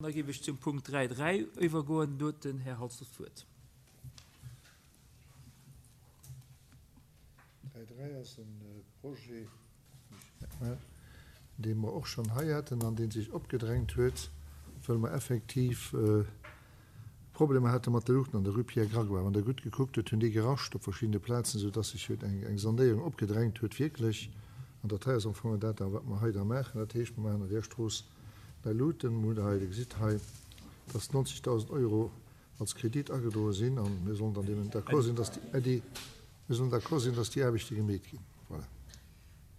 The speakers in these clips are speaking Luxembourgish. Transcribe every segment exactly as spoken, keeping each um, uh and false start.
Da géif ech zum Punkt dräi dräi iwwergoen. Do huet den Här Halsdorf d'Wuert. Dräi dräi ass e Projet, dee mer och schonn hei haten an dee sech opgedrängt huet, well mer effektiv Problemer hate mat de Luuchten an der Rue Pierre Grégoire. Wann Der gutt gekuckt hutt, hunn déi gerascht op verschiddene Plazen, soudass sech huet eng Sanéierung opgedrängt huet wierklech. An dat hei ass am Fong dat da, wat mer hei da maachen. Dat heescht, mer maachen an där Strooss nei Luuten. Mer hunn hei, Dir gesitt hei, dass neunzigtausend Euro als Kredit agedroe sinn an mir sollen dann deemno d'accord sinn, dass déi, mir sollen d'accord sinn, dass déi Aarbechte gemeet ginn. Voilà.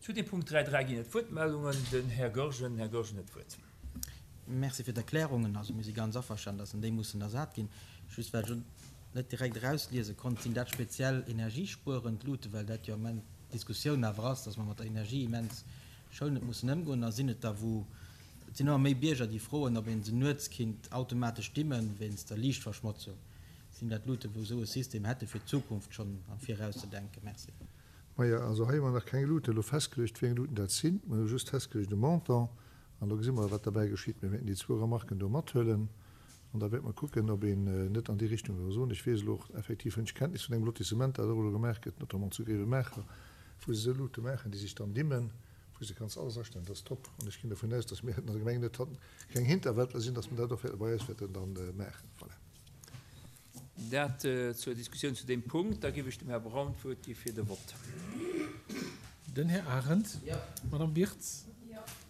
Zu dem Punkt dräi dräi ginn et Wuertmeldungen. Den Här Goergen. Här Goergen huet d'Wuert. Merci fir d'Erklärungen. Also mir si ganz averstanen, dass déi mussen ersat ginn. Just well ech net direkt erausliese konnt, sinn dat speziell energiespuerend Luuten, well dat jo am Ament d'Diskussioun awer ass, dass mer mat der Energie immens schounend mussen ëmgoen. A sinn et der, wou et sinn ëmmer méi Bierger, déi froen, ob een se nuets kinnt automatesch dimmen wéinst der Liichtverschmotzung. Sinn dat Luuten, wou esou e System hätte fir d'Zukunft schonn am Viraus ze denken? Merci. Maja, also hei hu mer nach keng Luuten elo festgeluecht, wéi eng Luuten dat sinn. Mer hu just festgeluecht e Montant an da gesi mer, wat derbäi geschitt. Mir wäerten déi zwou Remarken do mathuelen an da wäerte mer kucken, ob een net an déi Richtung soll soen. Ech weess elo och effektiv, hunn ech Kenntnis vun engem Lotissement, dat och elo gemaach gëtt, notamment zu Grevenmacher, wou se esou Luute maachen, déi sech dann dimmen, wou s de kanns alles astellen. Dat ass top. An ech ginn dovun aus, dass mir an der Gemeng net keng Hinterwäldler sinn, dass mer dat och wäerte bei eis wäerten dann maachen. Voilà. Dat zur Diskussioun zu deem Punkt. Da géif ech dem Här Braun d'Wuert gi fir de Vott. Den Här Arendt. D'Madame Birtz.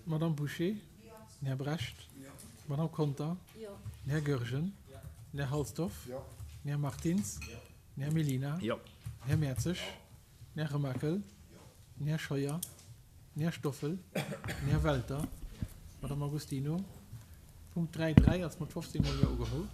D'Madame Bouché. Den Här Brecht. D'Madame Conter. Den Här Goergen. Den Här Halsdorf. Den Här Martins. Den Här Mellina. Den Här Mertzig. Den Här Remakel. Den Här Scheuer. Den Här Stoffel. Den Här Welter. D'Madame Agostino. Punkt dräi dräi ass mat fofzéng Mol Jo ugeholl.